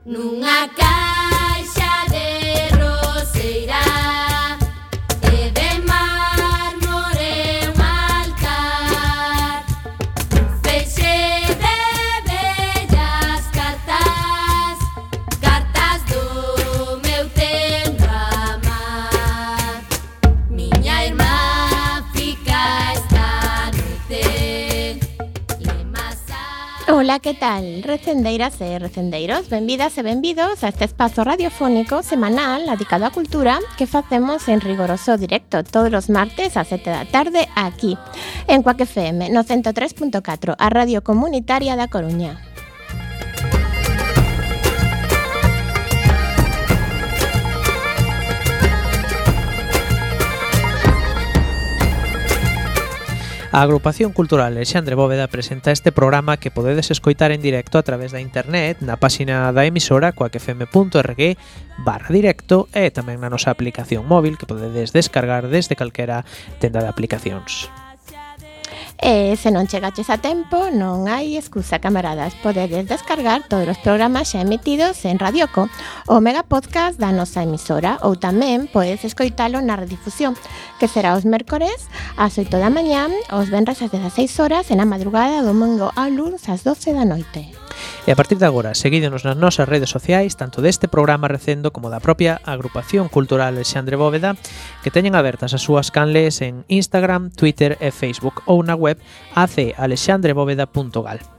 Nunha caixa de roseira e de mármore un altar, feixe de bellas cartas, cartas do meu tempo amar. Miña irmá fica esta noite. Ola, que tal? Recendeiras e recendeiros, benvidas e benvidos a este espazo radiofónico semanal dedicado á cultura que facemos en rigoroso directo todos os martes ás 7 da tarde aquí, en Cuac FM, no 103.4, a Radio Comunitaria da Coruña. A Agrupación Cultural Alexandre Bóveda presenta este programa que podedes escoitar en directo a través da internet na páxina da emisora coacfm.org/directo e tamén na nosa aplicación móvil que podedes descargar desde calquera tenda de aplicacións. E se non chegaches a tempo, non hai excusa, camaradas. Podedes descargar todos os programas xa emitidos en Radioco, o mega podcast da nosa emisora, ou tamén podes escoitalo na redifusión, que será os mércores ás 8 da mañá, os venres ás 16 horas e na madrugada do domingo ao luns ás 12 da noite. E a partir de agora, seguídenos nas nosas redes sociais, tanto deste programa recendo como da propia Agrupación Cultural Alexandre Bóveda, que teñen abertas as súas canles en Instagram, Twitter e Facebook ou na web acalexandrebóveda.gal.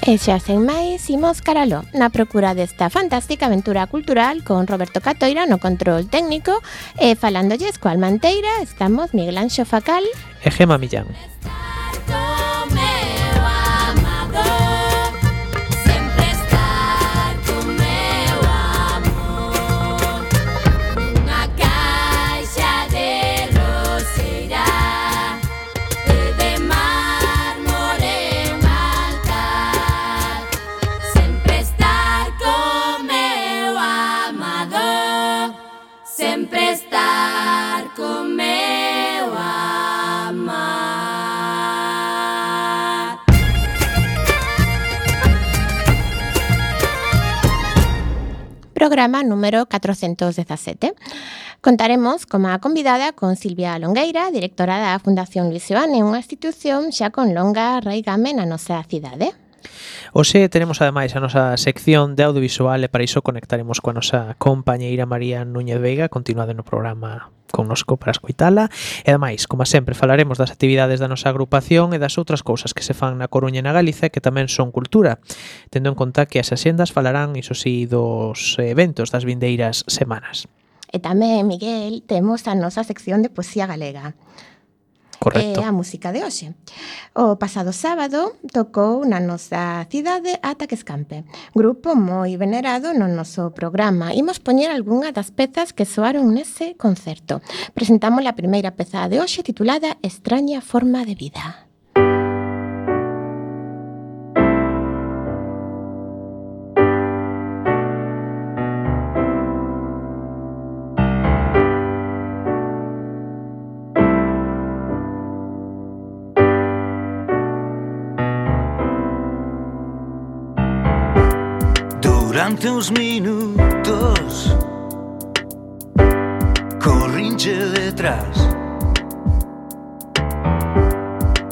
E xa sen máis, imos caralo na procura desta fantástica aventura cultural con Roberto Catoira no control técnico e falándolles coa Almanteira estamos Miguel Anxo Facal e Gema Millán. Programa número 417. Contaremos como a convidada con Silvia Longueira, directora da Fundación Luis Seoane, unha institución xa con longa raigame na nosa cidade. Hoxe tenemos ademais a nosa sección de audiovisual e para iso conectaremos coa nosa compañeira María Núñez Veiga, continuado no programa connosco para escoitala. E ademais, como sempre, falaremos das actividades da nosa agrupación e das outras cousas que se fan na Coruña e na Galiza que tamén son cultura, tendo en conta que as axendas falarán, iso sí, dos eventos das vindeiras semanas. E tamén, Miguel, temos a nosa sección de poesía galega. Correcto. A música de hoxe. O pasado sábado tocou na nosa cidade Ata que Escampe, grupo moi venerado no noso programa. Imos poñer algunha das pezas que soaron nese concerto. Presentamos a primeira peza de hoxe titulada Extraña forma de vida. Durante uns minutos corrinche detrás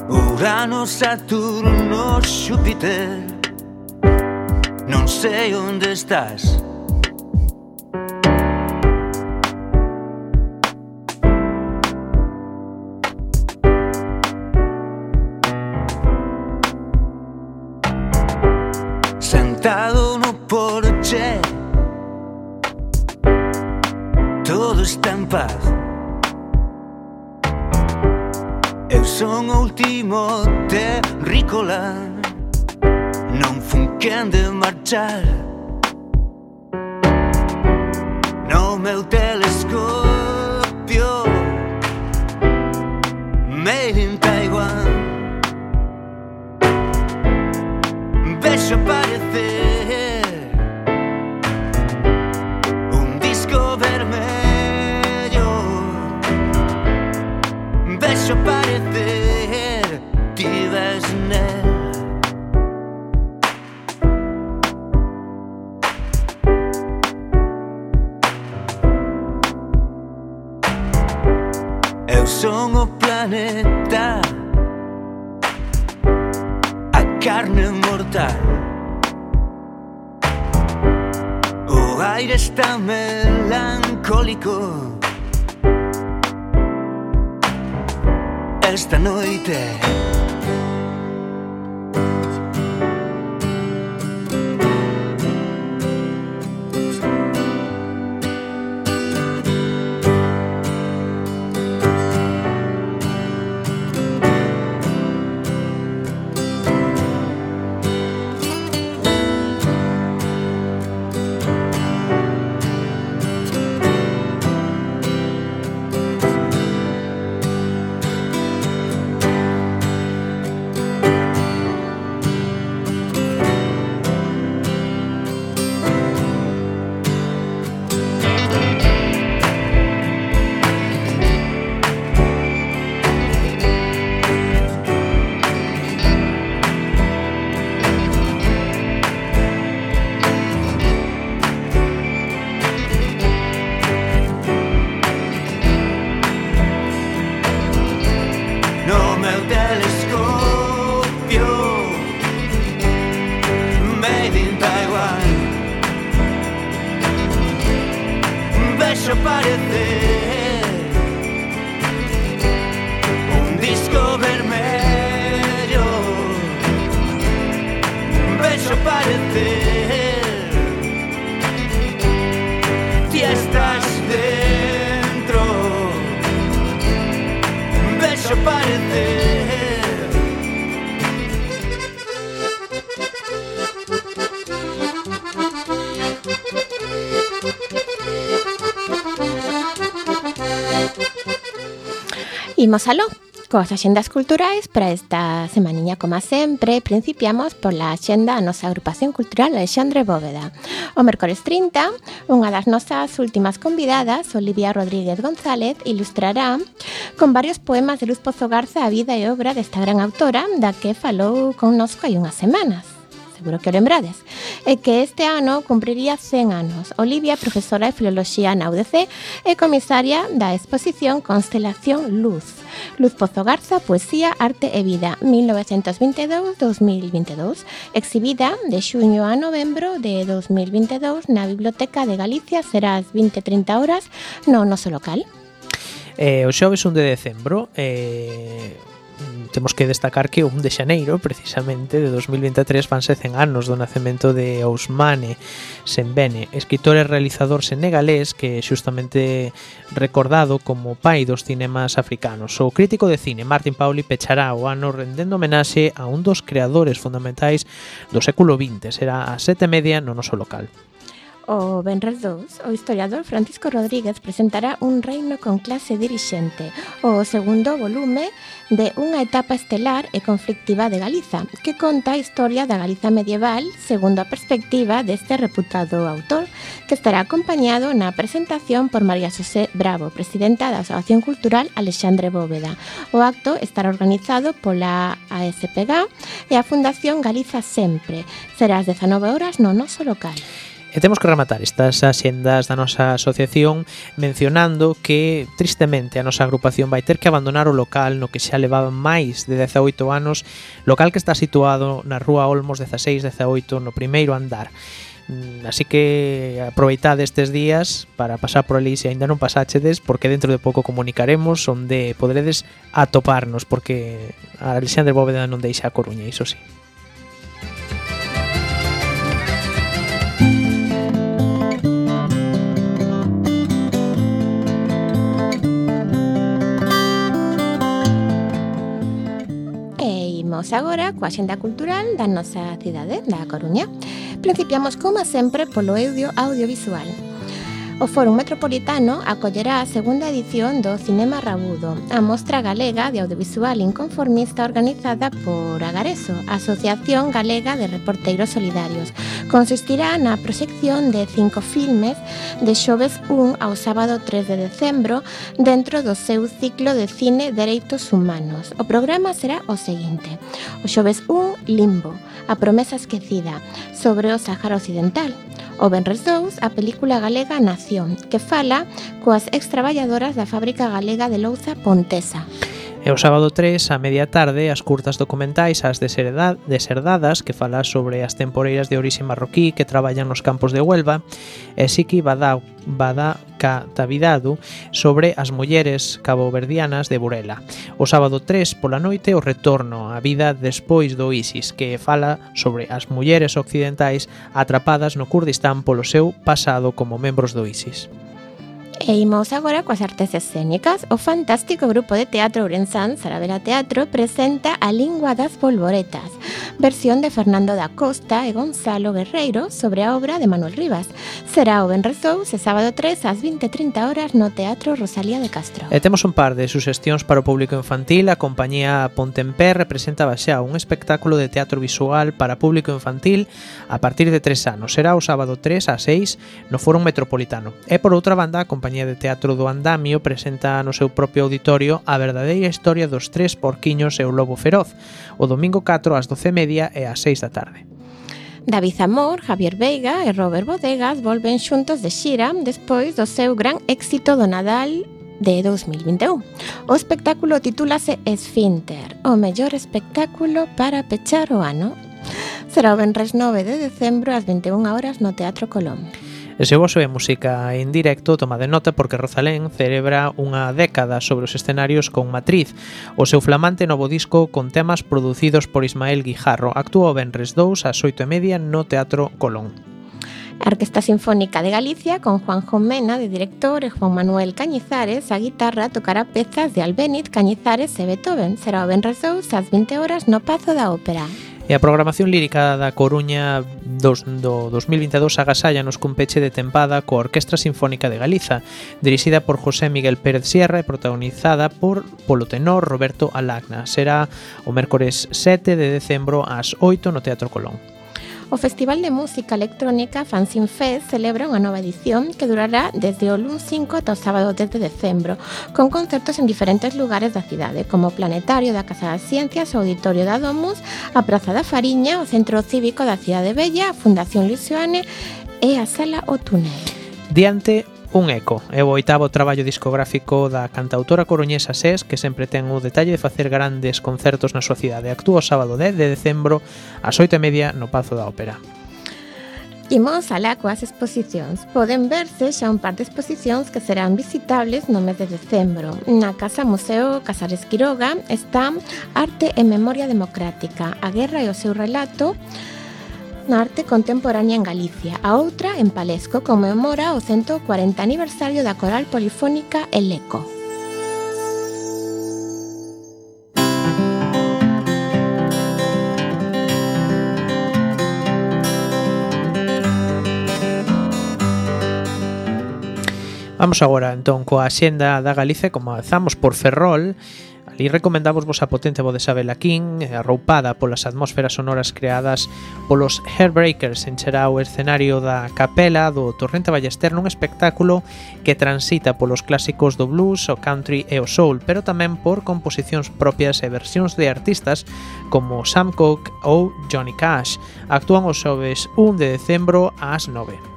Urano, Saturno, Xúpiter, non sei onde estás. Sentado no porche, todo está en paz. Eu son o último terrícola, non fun quen de marchar. No meu telescopio, made in Taiwan, vexo aparecer un disco vermello son o planeta, a carne mortal. O aire está melancólico esta noite. Imos aló coas axendas culturais para esta semaniña, como sempre. Principiamos pola axenda a nosa agrupación cultural Alexandre Bóveda. O mércores 30, unha das nosas últimas convidadas, Olivia Rodríguez González, ilustrará con varios poemas de Luz Pozo Garza a vida e obra desta gran autora da que falou connosco hai unhas semanas. Seguro que o lembrades, e que este ano cumpriría 100 anos. Olivia, profesora de Filoloxía na UDC e comisaria da exposición Constelación Luz. Luz Pozo Garza, Poesía, Arte e Vida, 1922-2022, exhibida de xuño a novembro de 2022 na Biblioteca de Galicia, será ás 20:30 horas no noso local. O xoves 1 de decembro temos que destacar que o 1 de xaneiro, precisamente, de 2023 fanse 100 anos do nacemento de Ousmane Sembene, escritor e realizador senegalés que é xustamente recordado como pai dos cinemas africanos. O crítico de cine Martin Pauli pechará o ano rendendo homenaxe a un dos creadores fundamentais do século XX. Será ás 7:30 no noso local. O venres 2, o historiador Francisco Rodríguez presentará Un reino con clase dirixente, o segundo volume de unha etapa estelar e conflictiva de Galiza, que conta a historia da Galiza medieval segundo a perspectiva deste reputado autor, que estará acompañado na presentación por María Xosé Bravo, presidenta da Asociación Cultural Alexandre Bóveda. O acto estará organizado pola ASPG e a Fundación Galiza Sempre. Será ás 19 horas no noso local. E temos que rematar estas axendas da nosa asociación mencionando que, tristemente, a nosa agrupación vai ter que abandonar o local no que xa levaba máis de 18 anos, local que está situado na Rúa Olmos 16-18, no primeiro andar. Así que aproveitade estes días para pasar por ali se aínda non pasáchedes, porque dentro de pouco comunicaremos onde poderedes atoparnos, porque a Alexandre Bóveda non deixa a Coruña, iso sí. Imos agora coa axenda cultural da nosa cidade, da Coruña. Principiamos, como sempre, polo audiovisual. O Fórum Metropolitano acollerá a segunda edición do Cinema Rabudo, a mostra galega de audiovisual inconformista organizada por Agareso, Asociación Galega de Reporteiros Solidarios. Consistirá na proxección de 5 filmes de xoves 1 ao sábado 3 de decembro dentro do seu ciclo de cine Dereitos Humanos. O programa será o seguinte: o xoves 1, Limbo, a promesa esquecida, sobre o Sáhara Occidental. O venres 2, a película galega Nación, que fala coas extraballadoras da fábrica galega de louza Pontesa. E o sábado 3, a media tarde, as curtas documentais As Deserdadas, que fala sobre as temporeiras de orixe marroquí que traballan nos campos de Huelva, e Siki Badakatavidadu sobre as mulleres caboverdianas de Burela. O sábado 3, pola noite, o retorno á vida despois do ISIS, que fala sobre as mulleres occidentais atrapadas no Kurdistán polo seu pasado como membros do ISIS. E imos agora coas artes escénicas. O fantástico grupo de teatro ourensán Saravera Teatro presenta A Lingua das Polvoretas, versión de Fernando da Costa e Gonzalo Guerreiro sobre a obra de Manuel Rivas. Será o venres 2 e sábado 3 ás 20:30 horas no Teatro Rosalía de Castro. E temos un par de suxestións para o público infantil. A compañía Pontempé representaba xa un espectáculo de teatro visual para público infantil a partir de 3 anos. Será o sábado 3 ás 6 no Fórum Metropolitano. E por outra banda, a compañía de teatro do Andamio presenta no seu propio auditorio a verdadeira historia dos 3 porquiños e o lobo feroz, o domingo 4 ás 12:30 e ás 6 da tarde. David Zamor, Javier Veiga e Robert Bodegas volven xuntos de xira despois do seu gran éxito do Nadal de 2021. O espectáculo titúlase Esfínter, o mellor espectáculo para pechar o ano. Será o venres 9 de decembro ás 21 horas no Teatro Colón. E se vos é música en directo, tomade nota porque Rosalén celebra unha década sobre os escenarios con Matriz, o seu flamante novo disco con temas producidos por Ismael Guijarro. Actúa o venres 2 ás 8:30 no Teatro Colón. A Orquesta Sinfónica de Galicia, con Juanjo Mena de director e Juan Manuel Cañizares, a guitarra tocará pezas de Albéniz, Cañizares e Beethoven. Será o venres 2 ás 20 horas no Pazo da Ópera. E a programación lírica da Coruña do 2022 agasállanos cun peche de tempada coa Orquestra Sinfónica de Galiza, dirixida por José Miguel Pérez Sierra e protagonizada polo tenor Roberto Alagna. Será o mércores 7 de decembro ás 8 no Teatro Colón. O Festival de Música Electrónica Fanzine Fest celebra unha nova edición que durará desde o luns 5 ata o sábado 10 de decembro, con concertos en diferentes lugares da cidade, como o Planetario da Casa das Ciencias, o Auditorio da Domus, a Praza da Fariña, o Centro Cívico da Cidade Bella, a Fundación Luisoane e a Sala O Túnel. Diante un eco, é o 8º traballo discográfico da cantautora coruñesa SES, que sempre ten o detalle de facer grandes concertos na súa cidade. Actúa o sábado 10 de decembro ás 8:30 no Pazo da Ópera. Imos alá coas exposicións. Poden verse xa un par de exposicións que serán visitables no mes de decembro. Na Casa Museo Casares Quiroga está Arte e Memoria Democrática, a guerra e o seu relato na arte contemporánea en Galicia. A outra, en Palesco, conmemora o 140 aniversario da coral polifónica El Eco. Vamos agora entón coa axenda da Galicia. Comezamos por Ferrol. Ali recomendamos a potente voz de Isabela King, arroupada polas atmósferas sonoras creadas polos Hairbreakers. Encherá o escenario da Capela do Torrente Ballester nun espectáculo que transita polos clásicos do blues, o country e o soul, pero tamén por composicións propias e versións de artistas como Sam Cooke ou Johnny Cash. Actúan os xoves 1 de decembro ás 9.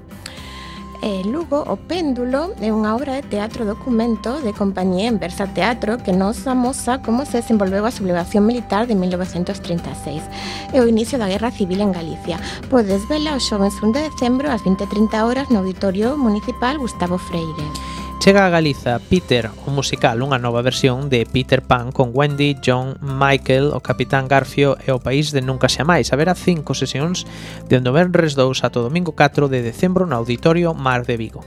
Lugo, O Péndulo é unha obra de teatro documento de compañía en Versa Teatro que nos amosa como se desenvolveu a sublevación militar de 1936 e o inicio da Guerra Civil en Galicia. Podes vela o xoves 1 de decembro ás 20:30 horas no Auditorio Municipal Gustavo Freire. Chega a Galiza Peter, o musical, unha nova versión de Peter Pan con Wendy, John, Michael, o Capitán Garfio e o País de Nunca Xamais. Haberá 5 sesións de venres 2 ata o domingo 4 de decembro no Auditorio Mar de Vigo.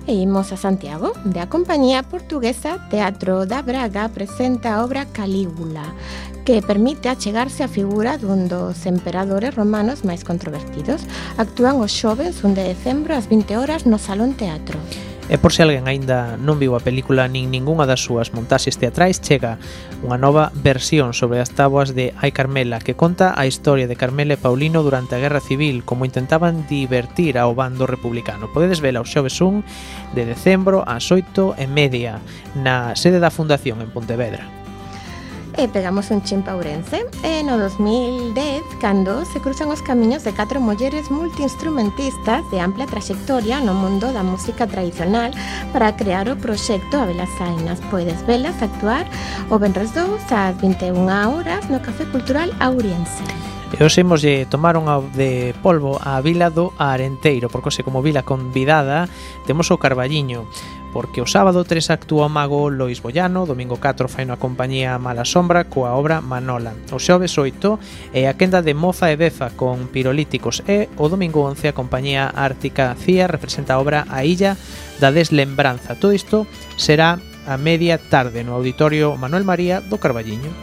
E imos a Santiago, de a compañía portuguesa Teatro da Braga presenta a obra Calígula, que permite achegarse a figura dun dos emperadores romanos máis controvertidos. Actúan os xoves 1 de decembro ás 20 horas no Salón Teatro. E por se alguén aínda non viu a película nin ningunha das súas montaxes teatrais, chega unha nova versión sobre as táboas de Ai Carmela, que conta a historia de Carmela e Paulino durante a Guerra Civil, como intentaban divertir ao bando republicano. Podedes vela o xoves 1 de decembro ás 8:30 na sede da Fundación en Pontevedra. E pegamos un chin pa Ourense. E no 2010, cando se cruzan os camiños de 4 mulleres multiinstrumentistas de ampla traxectoria no mundo da música tradicional para crear o proxecto Habelas Ainas. Podes velas actuar o venres 2 ás 21 horas no Café Cultural Ouriense. E os imoslle tomaron de polvo a vila do Arenteiro, porque se como vila convidada temos o Carballiño, porque o sábado 3 actúa o mago Lois Bollano, domingo 4 fai na compañía Mala Sombra coa obra Manola, o xoves 8 é a quenda de Moza e Beza con Pirolíticos e o domingo 11 a compañía Ártica Cía representa a obra A Illa da Deslembranza. Todo isto será a media tarde no Auditorio Manuel María do Carballiño.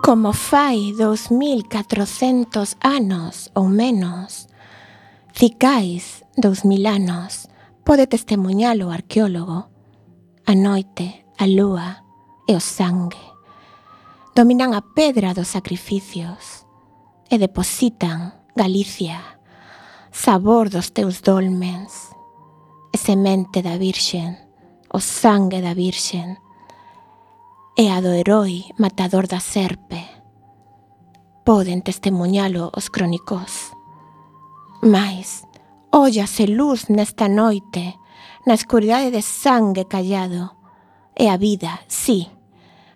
Como fai 2400 anos ou menos, cicais 2000 anos, pode testemunhalo o arqueólogo. A noite, a lúa e o sangue dominan a pedra dos sacrificios e depositan Galicia, sabor dos teus dolmens, e semente da Virxen, o sangue da Virxen, e a do heroi matador da serpe. Poden testemunhalo os crónicos. Mais, óllase luz nesta noite, na escuridade de sangue callado, e a vida, sí,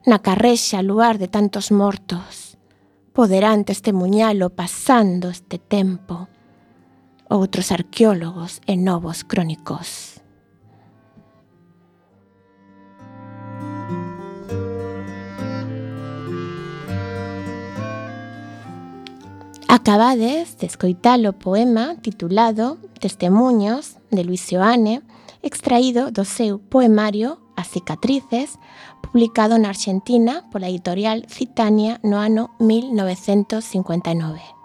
na carrexa luar de tantos mortos. Poderán testemunhalo pasando este tempo outros arqueólogos e novos crónicos. Acabades de escoitar o poema titulado Testemuños de Luis Seoane, extraído do seu poemario As cicatrices, publicado na Argentina pola editorial Citania no ano 1959.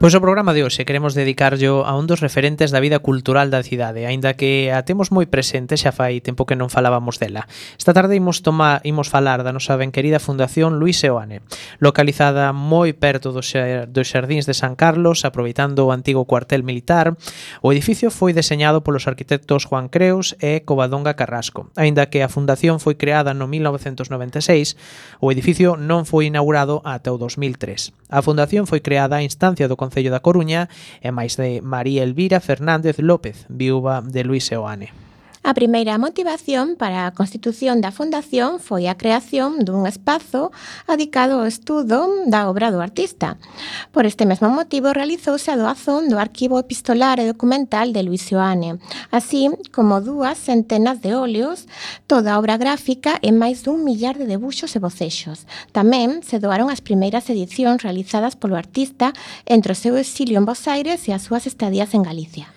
Pois o programa de hoxe queremos dedicarlo a un dos referentes da vida cultural da cidade, aínda que a temos moi presente, xa fai tempo que non falábamos dela. Esta tarde imos falar da nosa ben querida Fundación Luis Seoane, localizada moi perto dos xardíns de San Carlos, aproveitando o antigo cuartel militar. O edificio foi deseñado polos arquitectos Juan Creus e Covadonga Carrasco. Aínda que a fundación foi creada no 1996, o edificio non foi inaugurado ata o 2003. A fundación foi creada a instancia do Concello da Coruña e máis de María Elvira Fernández López, viúva de Luis Seoane. A primeira motivación para a constitución da fundación foi a creación dun espazo dedicado ao estudo da obra do artista. Por este mesmo motivo realizouse a doazón do arquivo epistolar e documental de Luis Seoane, así como 200 de óleos, toda a obra gráfica e máis dun millar de debuxos e bocexos. Tamén se doaron as primeiras edicións realizadas polo artista entre o seu exilio en Bos Aires e as súas estadías en Galicia.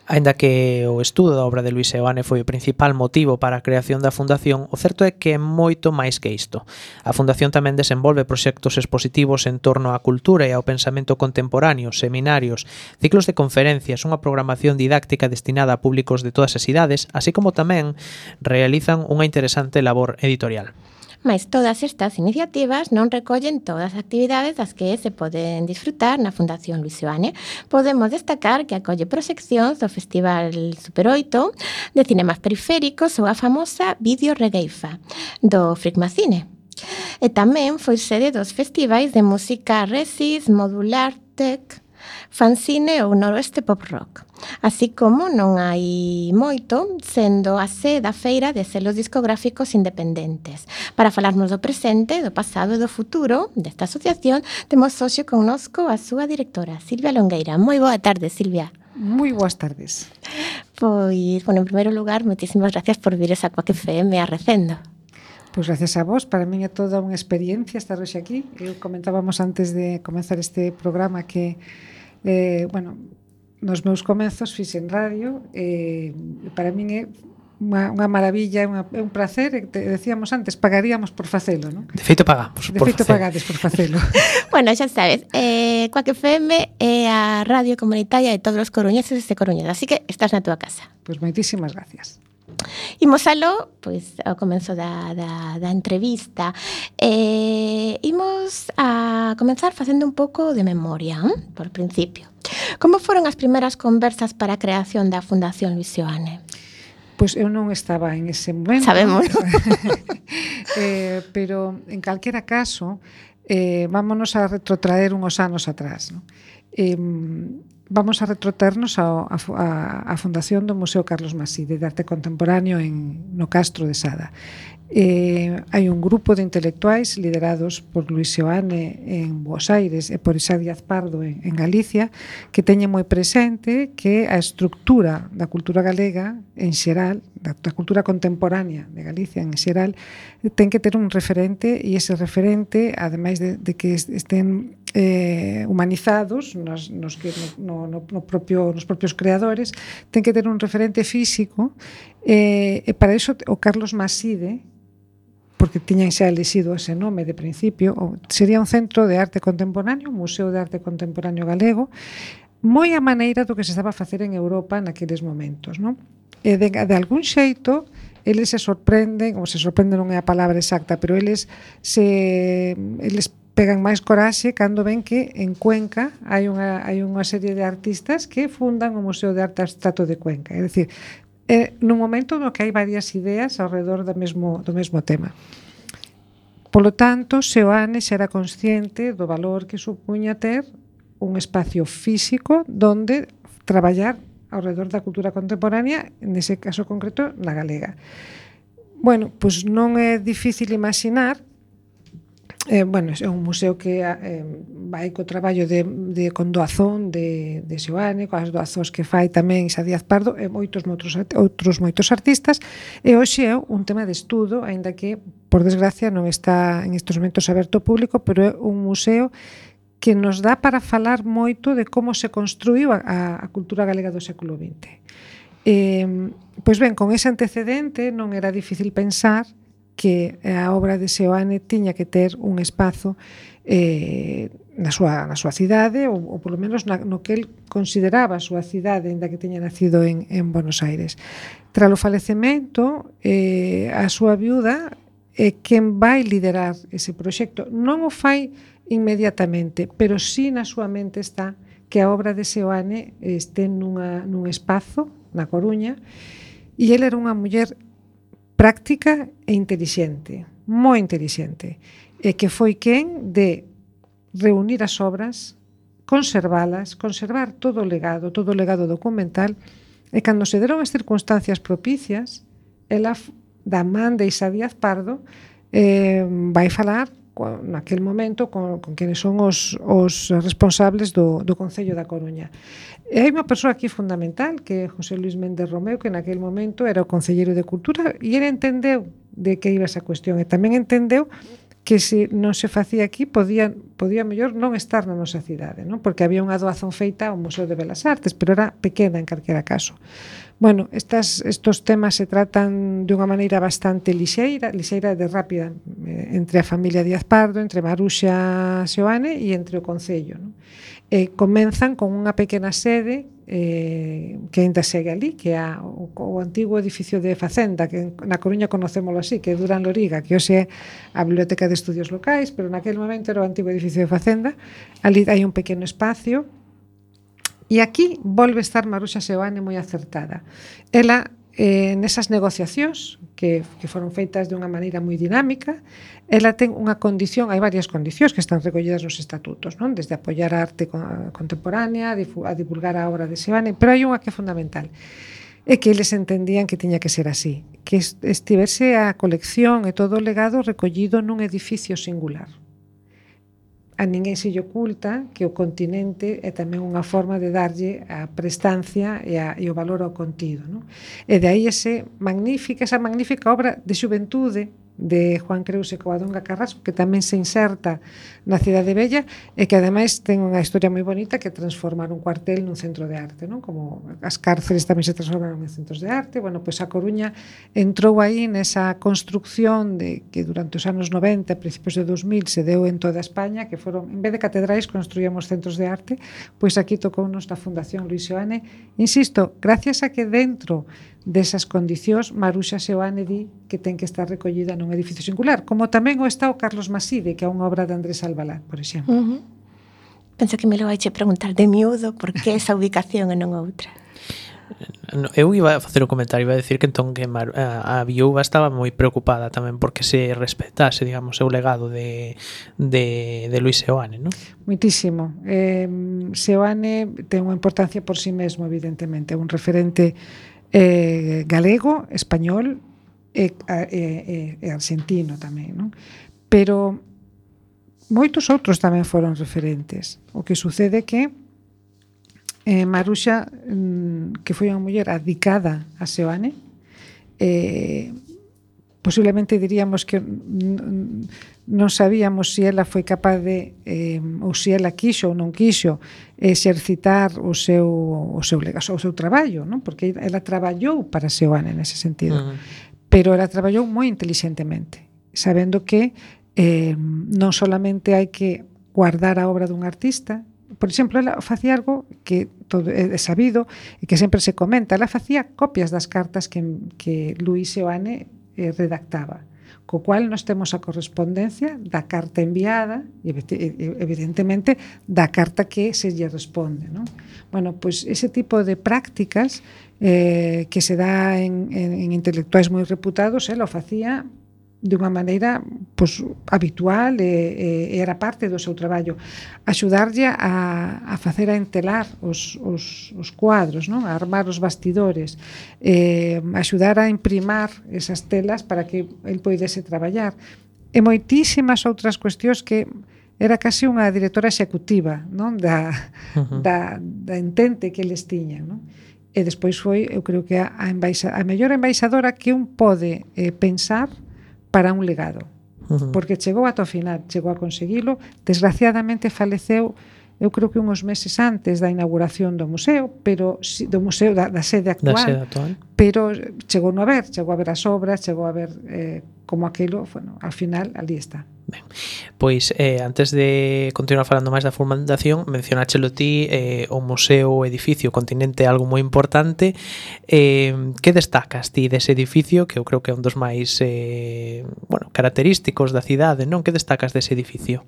Aínda que o estudo da obra de Luis Seoane foi o principal motivo para a creación da Fundación, o certo é que é moito máis que isto. A Fundación tamén desenvolve proxectos expositivos en torno á cultura e ao pensamento contemporáneo, seminarios, ciclos de conferencias, unha programación didáctica destinada a públicos de todas as idades, así como tamén realizan unha interesante labor editorial. Mais todas estas iniciativas non recollen todas as actividades das que se poden disfrutar na Fundación Luis Seoane. Podemos destacar que acolle proxeccións do Festival Super 8 de cinemas periféricos ou a famosa Vídeo Regueifa do Fricmacine. E tamén foi sede dos festivais de música Resis, Modular Tech, Fanzine ou Noroeste Pop Rock. Así como non hai moito, sendo a sede da feira de selos discográficos independentes. Para falarnos do presente, do pasado e do futuro desta asociación, temos hoxe connosco a súa directora, Silvia Longueira. Moi boa tarde, Silvia. Moi boas tardes. Pois, bueno, en primeiro lugar, moitísimas gracias por vir a Quack FM a Recendo. Pois gracias a vos, para min é toda unha experiencia estar hoxe aquí. Eu comentábamos antes de comenzar este programa que, bueno, nos meus comezos fixen radio, para min é unha maravilla, é un placer, decíamos antes, pagaríamos por facelo, non? De feito pagamos De por feito facelo. pagades por facelo. Bueno, xa sabes, Cuac FM é a radio comunitaria de todos os coruñeses e coruñesas, así que estás na túa casa. Pois moitísimas gracias. Imos aló, pois, ao comenzo da entrevista. Imos a comenzar facendo un pouco de memoria, por principio. Como foron as primeiras conversas para a creación da Fundación Luis Seoane? Pois eu non estaba en ese momento. Sabemos. Pero, en calquera caso, vámonos a retrotraer uns anos atrás, non? Vamos a retrotraernos a fundación do Museo Carlos Maside de Arte Contemporáneo no Castro de Sada. Hai un grupo de intelectuais liderados por Luis Seoane en Buenos Aires e por Isa Díaz Pardo en Galicia, que teñen moi presente que a estructura da cultura galega en xeral, da cultura contemporánea de Galicia en xeral, ten que ter un referente, e ese referente, ademais de que estén humanizados nos propios creadores, ten que ter un referente físico, e para iso o Carlos Maside, porque tiñan xa elixido ese nome de principio, sería un centro de arte contemporáneo, un museo de arte contemporáneo galego, moi a maneira do que se estaba a facer en Europa naqueles momentos, non? E de algún xeito eles se sorprenden, ou se sorprenden non é a palabra exacta, pero eles pegan máis coraxe cando ven que en Cuenca hai unha serie de artistas que fundan o Museo de Arte Abstracto de Cuenca. É dicir, nun momento no que hai varias ideas ao redor do mesmo tema. Polo tanto, Seoane xa era consciente do valor que supuña ter un espacio físico donde traballar ao redor da cultura contemporánea, nese caso concreto, na galega. Bueno, pois non é difícil imaginar. Bueno, é un museo que vai co traballo con doazón de Seoane, coas doazóns que fai tamén Isa Díaz Pardo e moitos artistas, e hoxe é un tema de estudo, aínda que, por desgracia, non está en estes momentos aberto ao público, pero é un museo que nos dá para falar moito de como se construiu a cultura galega do século XX. Pois ben, con ese antecedente non era difícil pensar que a obra de Seoane tiña que ter un espazo na súa cidade, ou polo menos no que el consideraba a súa cidade, ainda que teña nacido en Buenos Aires. Tras o falecemento, a súa viuda é quen vai liderar ese proxecto. Non o fai inmediatamente, pero sí na súa mente está que a obra de Seoane este nun espazo na Coruña, e ele era unha muller práctica e intelixente, moi intelixente, e que foi quen de reunir as obras, conservar todo o legado documental, e cando se deron as circunstancias propicias, ela, da man de Isa Díaz Pardo, vai falar naquel momento con quenes son os responsables do Concello da Coruña. E hai unha persoa aquí fundamental, que é José Luis Méndez Romeu, que naquel momento era o concelleiro de Cultura, e ele entendeu de que iba esa cuestión, e tamén entendeu que se non se facía aquí podía mellor non estar na nosa cidade, non? Porque había unha doazón feita ao Museo de Belas Artes, pero era pequena en calquera caso. Bueno, estos temas se tratan de unha maneira bastante lixeira e rápida, entre a familia Díaz Pardo, entre Maruxa Seoane e entre o Concello, non? Comenzan con unha pequena sede que ainda segue ali, que é o antigo edificio de Facenda, que na Coruña conocémolo así, que é Durán Loriga, que hoxe é a Biblioteca de Estudios Locais, pero naquel momento era o antigo edificio de Facenda. Ali hai un pequeno espacio, e aquí volve a estar Maruxa Seoane moi acertada. Ela, nesas negociacións que foron feitas de unha maneira moi dinámica, ela ten unha condición, hai varias condicións que están recollidas nos estatutos, non? Desde apoiar a arte contemporánea, a divulgar a obra de Seoane, pero hai unha que é fundamental, é que eles entendían que tiña que ser así, que estivese a colección e todo o legado recollido nun edificio singular. A ninguén se lle oculta que o continente é tamén unha forma de darlle a prestancia e o valor ao contido, non? E de aí esa magnífica obra de xuventude de Juan Creus e Covadonga Carrasco, que tamén se inserta na Cidade Vella e que ademais ten unha historia moi bonita, que transformar un cuartel nun centro de arte, non? Como as cárceles tamén se transformaron en centros de arte. Bueno, pois a Coruña entrou aí nesa construcción de que durante os anos 90, principios de 2000 se deu en toda España, que foron, en vez de catedrais, construíamos centros de arte. Pois aquí tocounos na Fundación Luis Seoane, insisto, gracias a que dentro desas condicións Maruxa Seoane di que ten que estar recollida nun edificio singular, como tamén o está o Carlos Maside, que é unha obra de Andrés Albalá, por exemplo. Penso que me lo vai preguntar de miúdo por que esa ubicación e non outra. Eu iba a facer un comentario, iba a decir que entón que a viúva estaba moi preocupada tamén porque se respetase, digamos, o legado de Luis Seoane, non? Moitísimo. Seoane ten unha importancia por si mesmo, evidentemente, é un referente galego, español e argentino tamén, non? Pero moitos outros tamén foron referentes. O que sucede que Maruxa, que foi unha muller adicada a Seoane, posiblemente diríamos que non sabíamos se ela foi capaz de ou se ela quixo ou non quixo exercitar o seu legado, o seu traballo, non? Porque ela traballou para Seoane nese sentido, pero ela traballou moi inteligentemente, sabendo que non solamente hai que guardar a obra dun artista. Por exemplo, ela facía algo que todo é sabido e que sempre se comenta. Ela facía copias das cartas que Luis Seoane redactaba, co cual nós temos a correspondencia da carta enviada e evidentemente da carta que se lle responde, non? Bueno, pois ese tipo de prácticas que se dá en intelectuais moi reputados, ela o facía de unha maneira pois, habitual e era parte do seu traballo. Axudarlle a facer a entelar os cuadros, non? A armar os bastidores, axudar a imprimar esas telas para que el poidese traballar. E moitísimas outras cuestións que era casi unha directora executiva, non? Da entente que eles tiñan, non? E despois foi, eu creo que a mellor embaixadora que un pode pensar para un legado, porque chegou ata o final, chegou a conseguilo. Desgraciadamente faleceu, eu creo que uns meses antes da inauguración do museo, pero do museo da sede actual, pero chegou a ver as obras, chegou a ver como aquilo, bueno, al final ali está. Ben, pois antes de continuar falando máis da fundación, mencionáchelo ti, o museo, o edificio, o Continente é algo moi importante. Que destacas ti dese edificio, que eu creo que é un dos máis característicos da cidade, non? Que destacas dese edificio?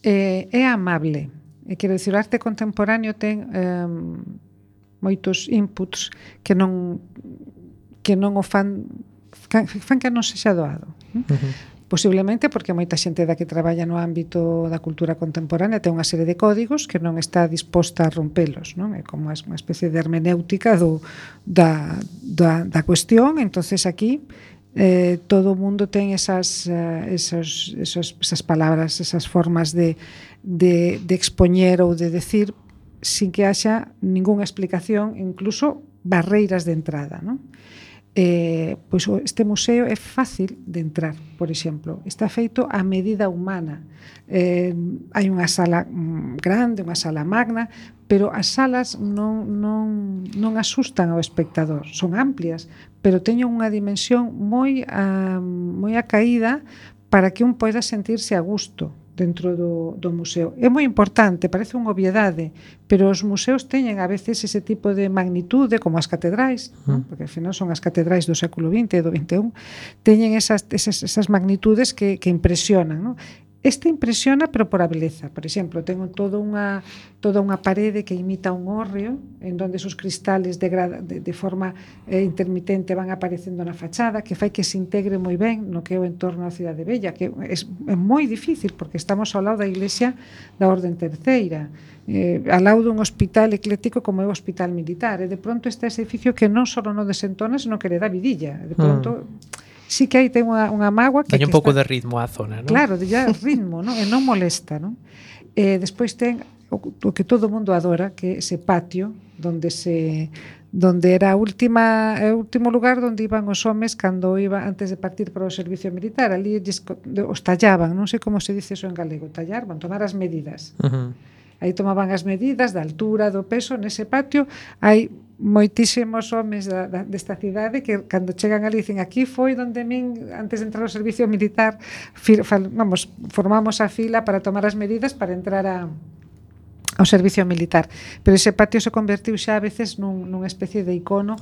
É amable. Quero dicir, o arte contemporáneo ten moitos inputs que non o fan que non sexa doado. Posiblemente porque moita xente da que traballa no ámbito da cultura contemporánea ten unha serie de códigos que non está disposta a rompelos, non? É como unha especie de hermenéutica da cuestión. Entonces aquí todo o mundo ten esas palabras, esas formas de expoñer ou de decir sin que haxa ningunha explicación, incluso barreiras de entrada, non? Pois este museo é fácil de entrar, por exemplo, está feito a medida humana. Hai unha sala grande, unha sala magna, pero as salas non asustan ao espectador, son amplias, pero teñen unha dimensión moi acaída para que un poida sentirse a gusto dentro do museo. É moi importante, parece unha obviedade, pero os museos teñen a veces ese tipo de magnitude, como as catedrais, ¿no? Porque ao final son as catedrais do século XX e do XXI, teñen esas magnitudes que impresionan, ¿no? Este impresiona, pero por a beleza. Por exemplo, tengo toda unha parede que imita un hórreo, en donde esos cristales de forma intermitente van aparecendo na fachada, que fai que se integre moi ben no que é o entorno da Cidade Vella, que é moi difícil, porque estamos ao lado da iglesia da Orden Terceira, ao lado dun hospital ecléctico como é o Hospital Militar, e de pronto está ese edificio que non só non desentona, senón que le dá vidilla. De pronto sí que aí ten unha mágoa que un pouco de ritmo á zona, non? Claro, ya ritmo, non? E non molesta, non? Despois ten o que todo o mundo adora, que é ese patio onde donde era o último lugar onde iban os homes cando iban antes de partir para o servicio militar. Ali os tallaban, non sei como se dice eso en galego, tallar, van tomar as medidas. Aí tomaban as medidas da altura, do peso. Nese patio hai moitísimos homes desta cidade que cando chegan ali dicen aquí foi donde min antes de entrar ao servicio militar formamos a fila para tomar as medidas para entrar ao servicio militar, pero ese patio se convertiu xa a veces nunha especie de icono,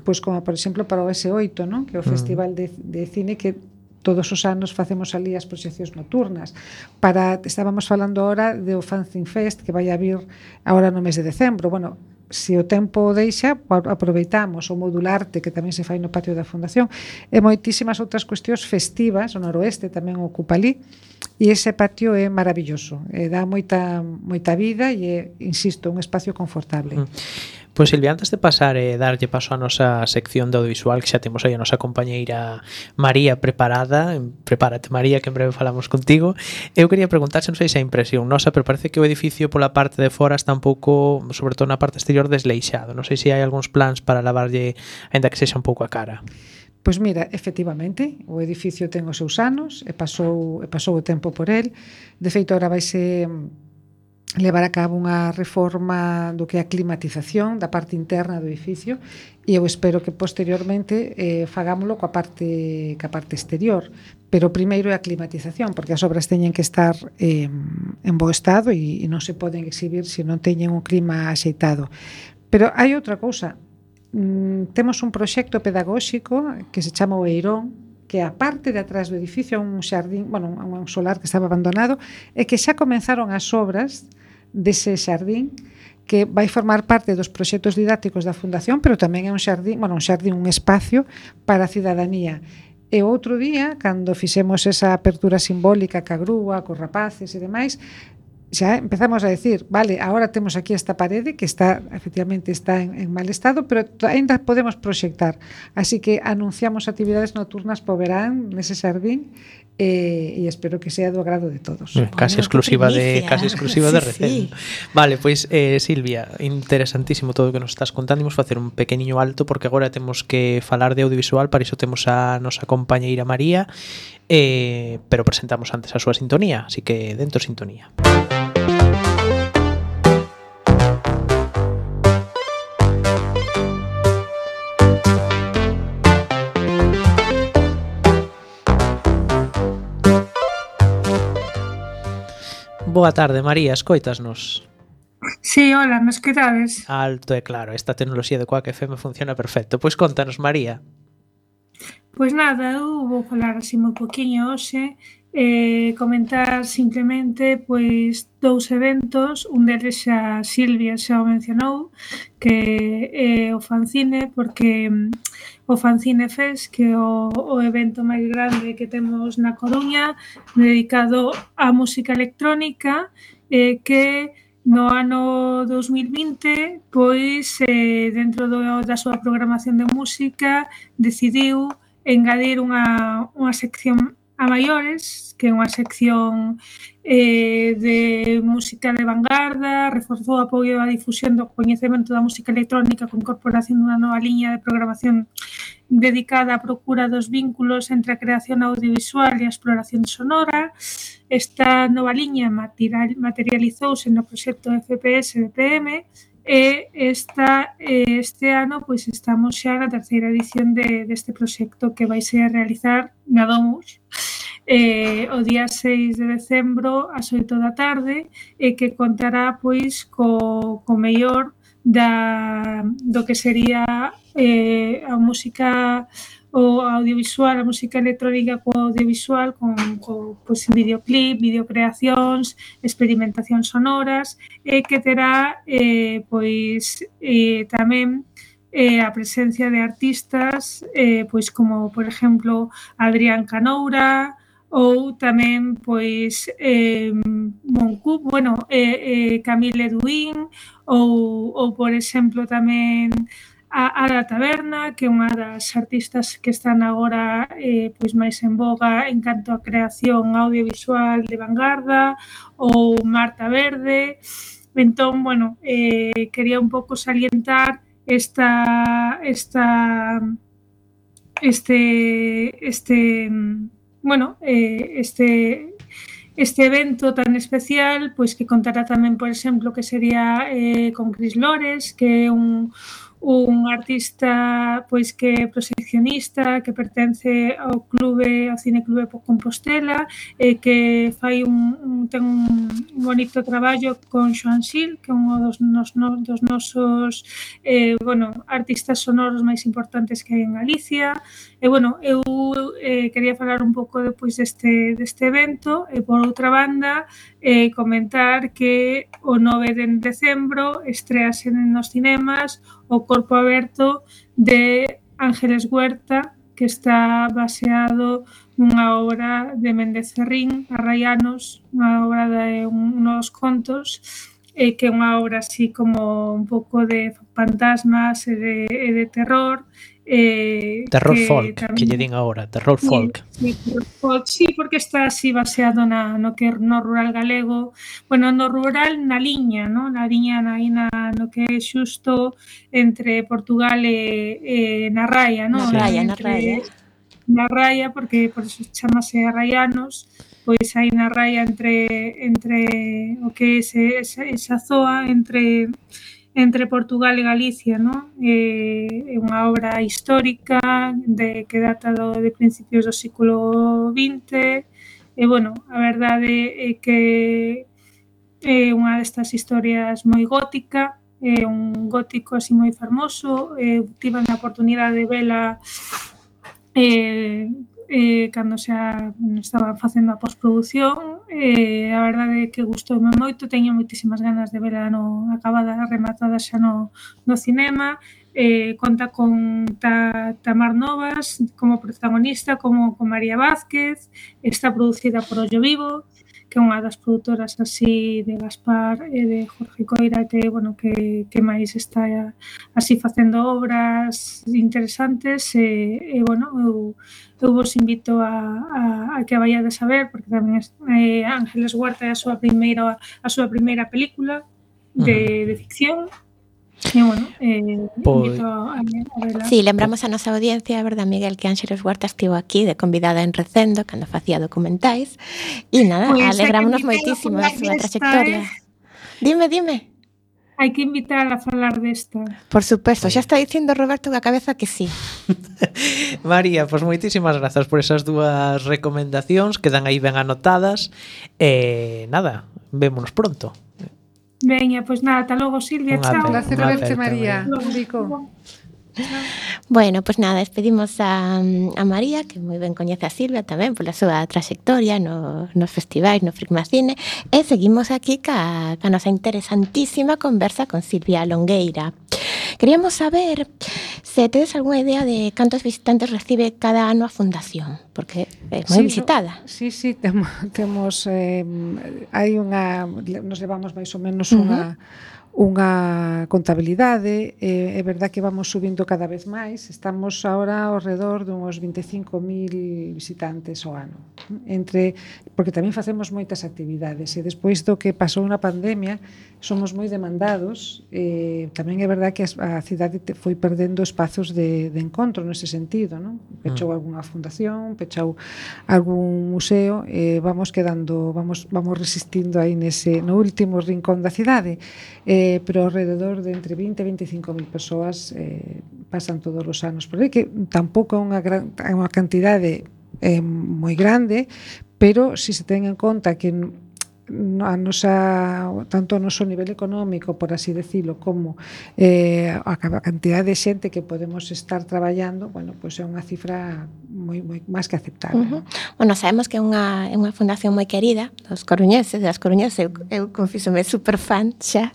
pois como por exemplo para o S8, non? Que é o festival de cine que todos os anos facemos ali as proxeccións nocturnas. Estábamos falando ahora do Fanzine Fest que vai a vir agora no mes de decembro. Bueno, se o tempo deixa, aproveitamos o Modularte que tamén se fai no patio da Fundación e moitísimas outras cuestións festivas. O Noroeste tamén ocupa ali e ese patio é maravilloso, dá moita vida e é, insisto, un espacio confortable. Pois Silvia, antes de pasar e darlle paso a nosa sección de audiovisual, que xa temos aí a nosa compañeira María preparada, prepárate María, que en breve falamos contigo, eu quería preguntarse, non sei se a impresión nosa, pero parece que o edificio pola parte de fora está un pouco, sobre todo na parte exterior, desleixado. Non sei se hai algúns plans para lavarlle, aínda que sexa un pouco a cara. Pois mira, efectivamente, o edificio ten os seus anos e pasou o tempo por el. De feito, agora vaise levar a cabo unha reforma do que é a climatización da parte interna do edificio e eu espero que posteriormente fagámoslo coa parte exterior, pero primeiro é a climatización, porque as obras teñen que estar en bo estado e non se poden exhibir se non teñen un clima axeitado. Pero hai outra cousa, temos un proxecto pedagóxico que se chama o Eirón, que a parte de atrás do edificio un xardín, un solar que estaba abandonado, e que xa comenzaron as obras dese xardín que vai formar parte dos proxectos didácticos da Fundación, pero tamén é un xardín, un espacio para a cidadanía. E outro día, cando fixemos esa apertura simbólica ca grúa, cos rapaces e demais, xa empezamos a decir, vale, agora temos aquí esta parede que efectivamente está en mal estado, pero ainda podemos proxectar. Así que anunciamos actividades nocturnas po verán nese xardín e espero que sea do agrado de todos. Casi exclusiva de Recendo. Vale, pois Silvia, interesantísimo todo o que nos estás contando. Imos facer un pequeniño alto porque agora temos que falar de audiovisual, para iso temos a nosa compañeira María, pero presentamos antes a súa sintonía, así que dentro sintonía. Boa tarde, María, escoitasnos? Sí, hola, me escoitades? Alto e claro, esta tecnoloxía de Quack FM funciona perfecto. Pois contanos, María. Pois nada, eu vou falar así moi poquinho hoxe, comentar simplemente pois dous eventos, un deles xa Silvia xa o mencionou, que é o Fanzine, porque o Fanzine Fest, que é o evento máis grande que temos na Coruña, dedicado á música electrónica, que no ano 2020, pois, dentro da súa programación de música, decidiu engadir unha sección a maiores, que é unha sección de música de vanguarda, reforzou o apoio á difusión do coñecemento da música electrónica con incorporación dunha nova liña de programación dedicada á procura dos vínculos entre a creación audiovisual e a exploración sonora. Esta nova liña materializouse no proxecto FPS BPM e este ano pois estamos xa na terceira edición deste proxecto que vai ser a realizar na Domus o día 6 de decembro ás 8 da tarde e que contará pois co mellor do que sería a música o audiovisual, a música electrónica co audiovisual, con pois, videoclip, videocreacións, experimentacións sonoras, e que terá pois tamén a presencia de artistas pois como, por exemplo, Adrián Canoura ou tamén pois Moncu, Camille Eduín ou por exemplo tamén a Ada Taberna, que é unha das artistas que están agora pois máis en voga en canto a creación audiovisual de vanguarda, ou Marta Verde. Entón, quería un pouco salientar este evento tan especial, pois que contará tamén, por exemplo, que sería con Cris Lores, que é un artista pois que é proxeccionista, que pertence ao Cineclube Compostela, que fai ten un bonito traballo con Xoan Xil, que é un dos nosos artistas sonoros máis importantes que hai en Galicia. E, eu quería falar un pouco depois deste evento e, por outra banda, comentar que o 9 de decembro estrease nos cinemas o Corpo Aberto de Ángeles Huerta, que está baseado nunha obra de Méndez Ferrín, Arraianos, unha obra de unos contos, que é unha obra así como un pouco de fantasmas e de terror. Terror folk, que lle din agora, terror folk. Sí, porque está así baseado no rural galego, no rural na liña, no que é xusto entre Portugal e na Raia, no? Na Raia, porque por eso chamase Arraianos, pois hai na Raia entre o que é esa zoa entre Portugal e Galicia, non? É unha obra histórica que data de principios do século XX. E, a verdade é que é unha destas historias moi gótica, é un gótico así moi fermoso. Tive a oportunidade de vela cando xa estaba facendo a postproducción. A verdade é que gustoume moito, teño moitísimas ganas de vela acabada, rematada xa no cinema. Conta con Tamar Novas como protagonista, como con María Vázquez. Está producida por Ollo Vivo, que é unha das produtoras así de Gaspar e de Jorge Coira, que máis está así facendo obras interesantes. Eu vos invito a que a vayades a ver, porque tamén Ángeles Huerta é a súa primeira película de ficción. Invito a verla. Sí, lembramos a nosa audiencia, verdad, Miguel, que Ángeles Huerta estivo aquí de convidada en Recendo cando facía documentais. E nada, alegrámonos moitísimo da súa trayectoria. Dime. Hai que invitar a falar desta. Por suposto, xa está dicindo Roberto que a cabeza que sí. María, pois moitísimas grazas por esas dúas recomendacións, quedan aí ben anotadas. Nada, vémonos pronto. Veña, pois nada, ata logo, Silvia, chao. Un placer verte, María. Bueno, pois nada, despedimos a María, que moi ben coñece a Silvia tamén pola súa trayectoria nos festivais, no Fricmacine, e seguimos aquí ca nosa interesantísima conversa con Silvia Longueira. Queríamos saber se tedes algunha idea de cantos visitantes recibe cada ano a Fundación, porque é moi visitada. Sí, temos nos levamos máis ou menos unha contabilidade. É verdad que vamos subindo cada vez máis. Estamos agora ao redor de uns 25.000 visitantes ao ano, porque tamén facemos moitas actividades, e despois do que pasou na pandemia somos moi demandados. Tamén é verdad que a cidade foi perdendo espazos de encontro nese sentido, non? Pechou algunha fundación, pechou algún museo, vamos resistindo aí no último rincón da cidade. Pero alrededor de entre 20 e 25.000 persoas pasan todos os anos por aí, que tampouco é unha cantidade moi grande, pero se se ten en conta que tanto o noso nivel económico, por así decirlo, como a cantidad de xente que podemos estar traballando, pois é unha cifra moi máis que aceptable. Sabemos que é unha fundación moi querida dos coruñeses, das coruñesas. Eu confísome super fan xa,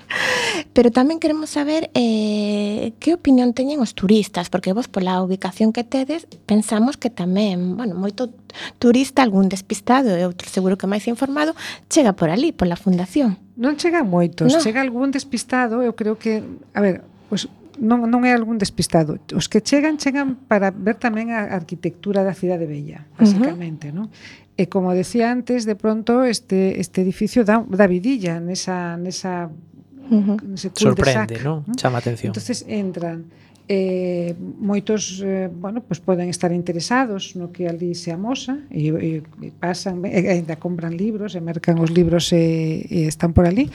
pero tamén queremos saber que opinión teñen os turistas, porque vos, pola ubicación que tedes, pensamos que tamén, moito turista, algún despistado e outro seguro que máis informado, chega por ali, pola fundación. Non chegan moitos, chega algún despistado. Eu creo que, non é algún despistado. Os que chegan para ver tamén a arquitectura da cidade bella, basicamente, non? E como decía antes, de pronto este edificio dá vidilla nesa nese cul-de-sac, Sorprende, non? Chama a atención. Entonces entran moitos pues poden estar interesados no que ali se amosa e pasan, ainda compran libros e mercan os libros e están por ali.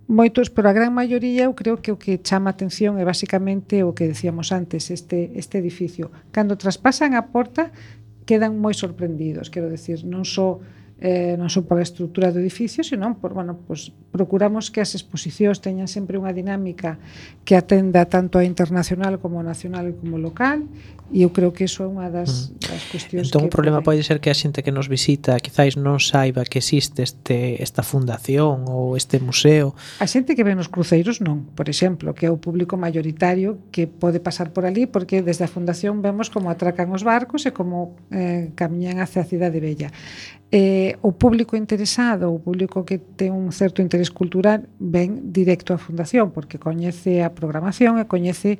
Moitos, pero a gran maioría eu creo que o que chama a atención é basicamente o que decíamos antes, este edificio. Cando traspasan a porta quedan moi sorprendidos, quero decir, non só pola estrutura do edificio, senón pues procuramos que as exposicións teñan sempre unha dinámica que atenda tanto a internacional como nacional como local, e eu creo que iso é unha das cuestións. Entón, o problema pode ser que a xente que nos visita quizáis non saiba que existe esta fundación ou este museo. A xente que ven nos cruceiros non, por exemplo, que é o público mayoritario que pode pasar por ali, porque desde a fundación vemos como atracan os barcos e como camiñan hacia a Cidade Bella. O público interesado, o público que ten un certo interés cultural, ven directo á fundación porque coñece a programación e coñece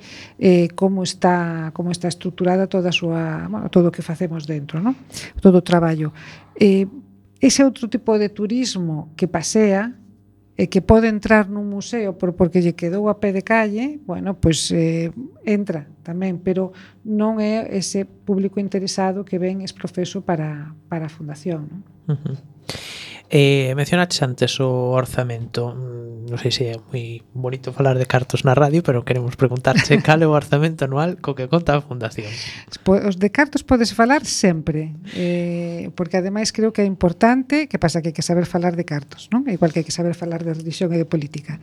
como está estruturada toda a súa, todo o que facemos dentro, non? Todo o traballo. Ese outro tipo de turismo que pasea e que pode entrar nun museo porque lle quedou a pé de calle, pues entra tamén, pero non é ese público interesado que ven exprofeso para a fundación, non? Mencionaches antes o orzamento. Non sei se é moi bonito falar de cartos na radio, pero queremos preguntarche cal é o orzamento anual co que conta a fundación. Os de cartos podes falar sempre, porque ademais creo que é importante, que pasa que hai que saber falar de cartos, non? Igual que hai que saber falar de religión e de política.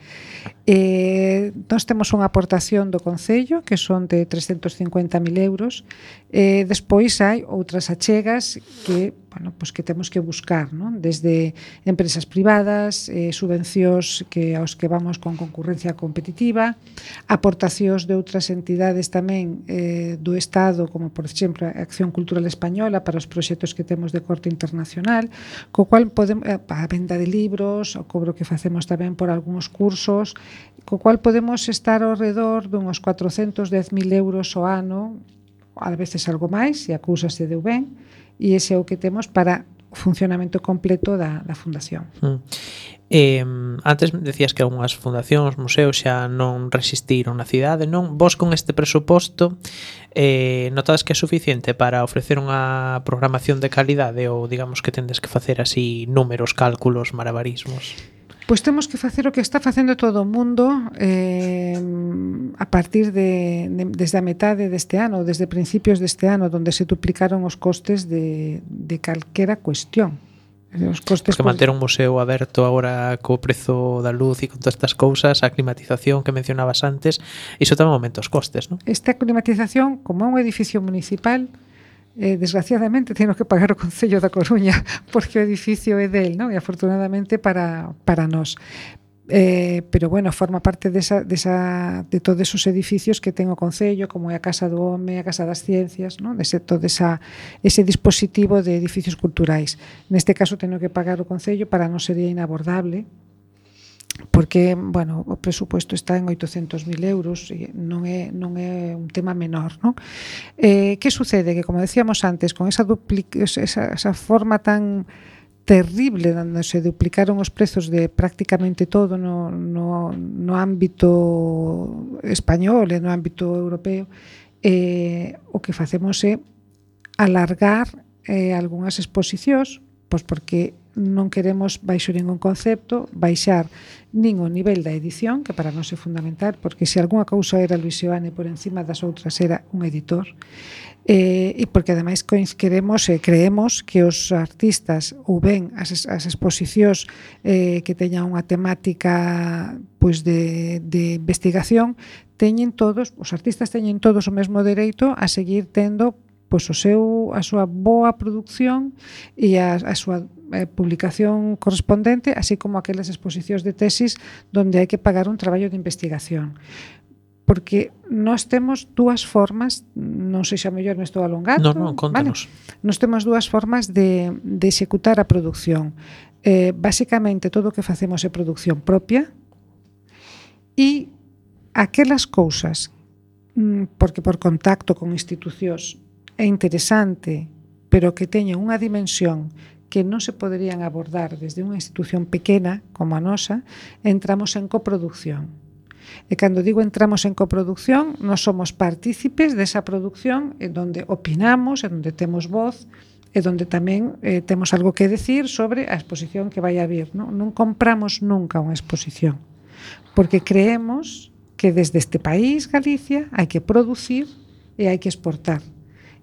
Nós temos unha aportación do Concello que son de 350.000 euros. Despois hai outras achegas que pues que temos que buscar, non? Desde empresas privadas, subvencións aos que vamos con concurrencia competitiva, aportacións de outras entidades tamén do Estado, como por exemplo a Acción Cultural Española para os proxectos que temos de corte internacional, co cual podemos, a venda de libros, o cobro que facemos tamén por algúns cursos, co cual podemos estar ao redor dunhos 410.000 euros ao ano, a veces algo máis, se a cousa se deu ben, e ese é o que temos para o funcionamento completo da fundación. Antes decías que algunhas fundacións, museos xa non resistiron na cidade, non? Vos con este presuposto notades que é suficiente para ofrecer unha programación de calidade ou digamos que tendes que facer así números, cálculos, malabarismos? Pois temos que facer o que está facendo todo o mundo a partir desde a metade deste ano, desde principios deste ano, onde se duplicaron os costes de calquera cuestión. Os costes que manter un museo aberto agora co prezo da luz e con todas estas cousas, a climatización que mencionabas antes, iso tamén aumenta os costes, non? Esta climatización, como é un edificio municipal, desgraciadamente teño que pagar o Concello da Coruña porque o edificio é del, non? E afortunadamente para nós. Pero bueno, forma parte de todos os edificios que ten o Concello, como é a Casa do Home, a Casa das Ciencias, non? Todo ese dispositivo de edificios culturais. Neste caso teño que pagar o Concello, para non sería inabordable, porque, bueno, o presupuesto está en 800.000 euros e non é un tema menor, non? Que sucede? Que, como decíamos antes, con esa forma tan terrible onde se duplicaron os prezos de prácticamente todo no ámbito español e no ámbito europeo, o que facemos é alargar algunhas exposicións, pois porque non queremos baixo ningún concepto baixar nin o nivel da edición, que para nós é fundamental, porque se algunha cousa era Luis Seoane por encima das outras era un editor, e porque ademais queremos e creemos que os artistas ou ben as exposicións que teñan unha temática pois de investigación, os artistas teñen todos o mesmo dereito a seguir tendo pois a súa boa produción e a súa publicación correspondente, así como aquelas exposicións de tesis onde hai que pagar un traballo de investigación. Porque nós temos dúas formas, non sei se a mellor me estou alongando. Non, contanos. Vale? Nós temos dúas formas de executar a produción. Básicamente, todo o que facemos é produción propia e aquelas cousas, porque por contacto con institucións é interesante, pero que teñen unha dimensión que non se poderían abordar desde unha institución pequena como a nosa, entramos en coproducción. E cando digo entramos en coproducción, nós somos partícipes desa produción en donde opinamos, en donde temos voz, e donde tamén temos algo que decir sobre a exposición que vai a vir. Non compramos nunca unha exposición, porque creemos que desde este país, Galicia, hai que producir e hai que exportar.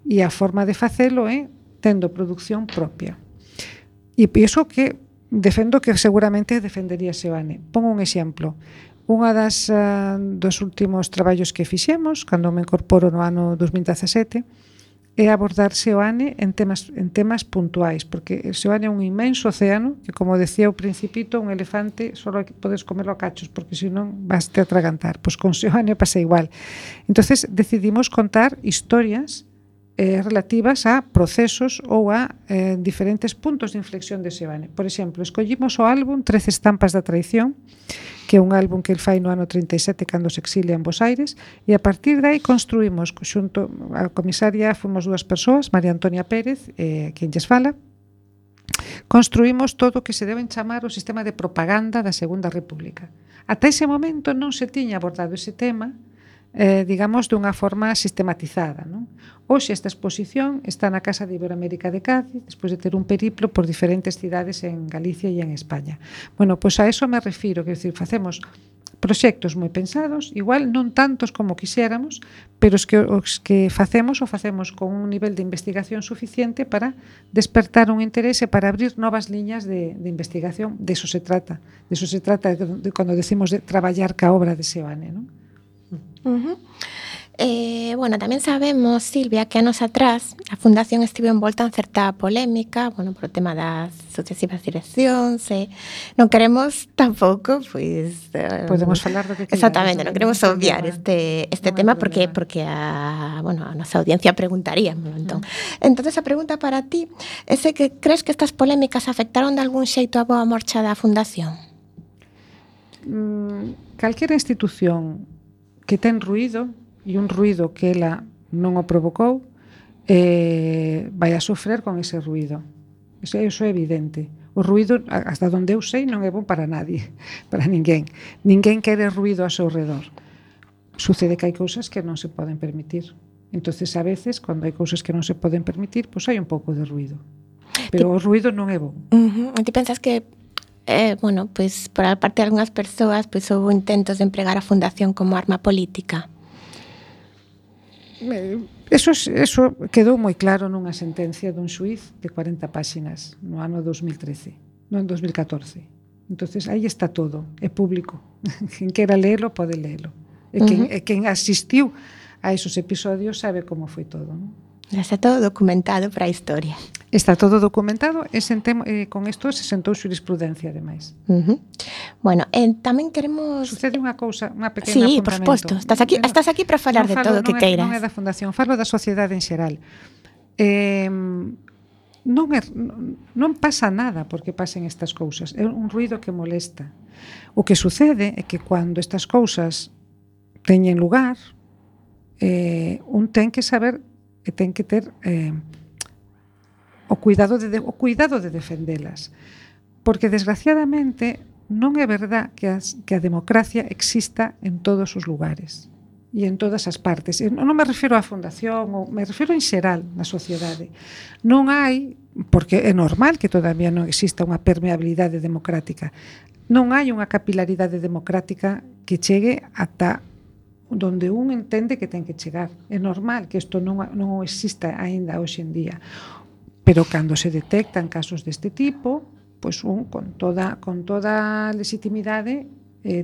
E a forma de facelo é tendo produción propia. E iso que defendo que seguramente defendería Seoane. Pongo un exemplo. Unha dos últimos traballos que fixemos, cando me incorporo no ano 2017, é abordar Seoane en temas puntuais, porque Seoane é un inmenso océano que, como decía o Principito, un elefante só podes comelo a cachos, porque senón vas te atragantar. Pois con Seoane pasa igual. Entonces decidimos contar historias relativas a procesos ou a diferentes puntos de inflexión de Seoane. Por exemplo, escollimos o álbum 13 estampas da traición, que é un álbum que el fai no ano 37 cando se exilia en Bos Aires, e a partir de aí construímos xunto a comisaria, fomos 2 persoas, María Antonia Pérez, quen lles fala, construímos todo o que se deben chamar o sistema de propaganda da Segunda República. Ata ese momento non se tiña abordado ese tema, digamos, dunha forma sistematizada, non? Hoxe esta exposición está na Casa de Iberoamérica de Cádiz, despois de ter un periplo por diferentes cidades en Galicia e en España. Bueno, pois a eso me refiro, que decir, facemos proxectos moi pensados, igual non tantos como quixéramos, pero os que facemos con un nivel de investigación suficiente para despertar un interese, para abrir novas liñas de investigación. De eso se trata. De eso se trata cando decimos de traballar ca obra de Seoane, non? Bueno, tamén sabemos, Silvia, que anos atrás a Fundación estivo envolta en certa polémica, bueno, por o tema das sucesivas direccións, non queremos tampouco, pois... Podemos falar do que queramos. Exactamente, non queremos obviar este tema porque a nosa audiencia preguntaría. Entón, a pregunta para ti é se que crees que estas polémicas afectaron de algún xeito a boa marcha da Fundación? Calquera institución que ten ruído, e un ruído que ela non o provocou, vai a sofrer con ese ruído. Eso é evidente. O ruído, hasta donde eu sei, non é bom para nadie, para ninguén. Ninguén quere ruído ao seu redor. Sucede que hai cousas que non se poden permitir. Entonces, a veces, cando hai cousas que non se poden permitir, pois hai un pouco de ruído. Pero o ruído non é bom. Ti pensas que pois por a parte de algunhas persoas pois houve intentos de empregar a Fundación como arma política? Eso quedou moi claro nunha sentencia dun xuiz de 40 páxinas no ano 2013, non 2014. Entonces aí está todo, é público. Quen quera leelo pode leelo. E quen asistiu a esos episodios sabe como foi todo, non? Está todo documentado para a historia. Está todo documentado e con isto se sentou xurisprudencia, ademais. Bueno, tamén queremos... Sucede unha cousa, unha pequena apuntamento. Sí, por suposto. Estás aquí para falar de todo o que queiras. Non é da Fundación, falo da sociedade en xeral. Non pasa nada porque pasen estas cousas. É un ruído que molesta. O que sucede é que cando estas cousas teñen lugar, un ten que saber e ten que ter o cuidado de defendelas, porque desgraciadamente non é verdad que a democracia exista en todos os lugares e en todas as partes. Non me refiro á Fundación, me refiro en xeral na sociedade. Non hai, porque é normal que todavía non exista unha permeabilidade democrática, non hai unha capilaridade democrática que chegue ata donde un entende que ten que chegar. É normal que isto non exista aínda hoxe en día. Pero cando se detectan casos deste tipo, pois un con toda legitimidade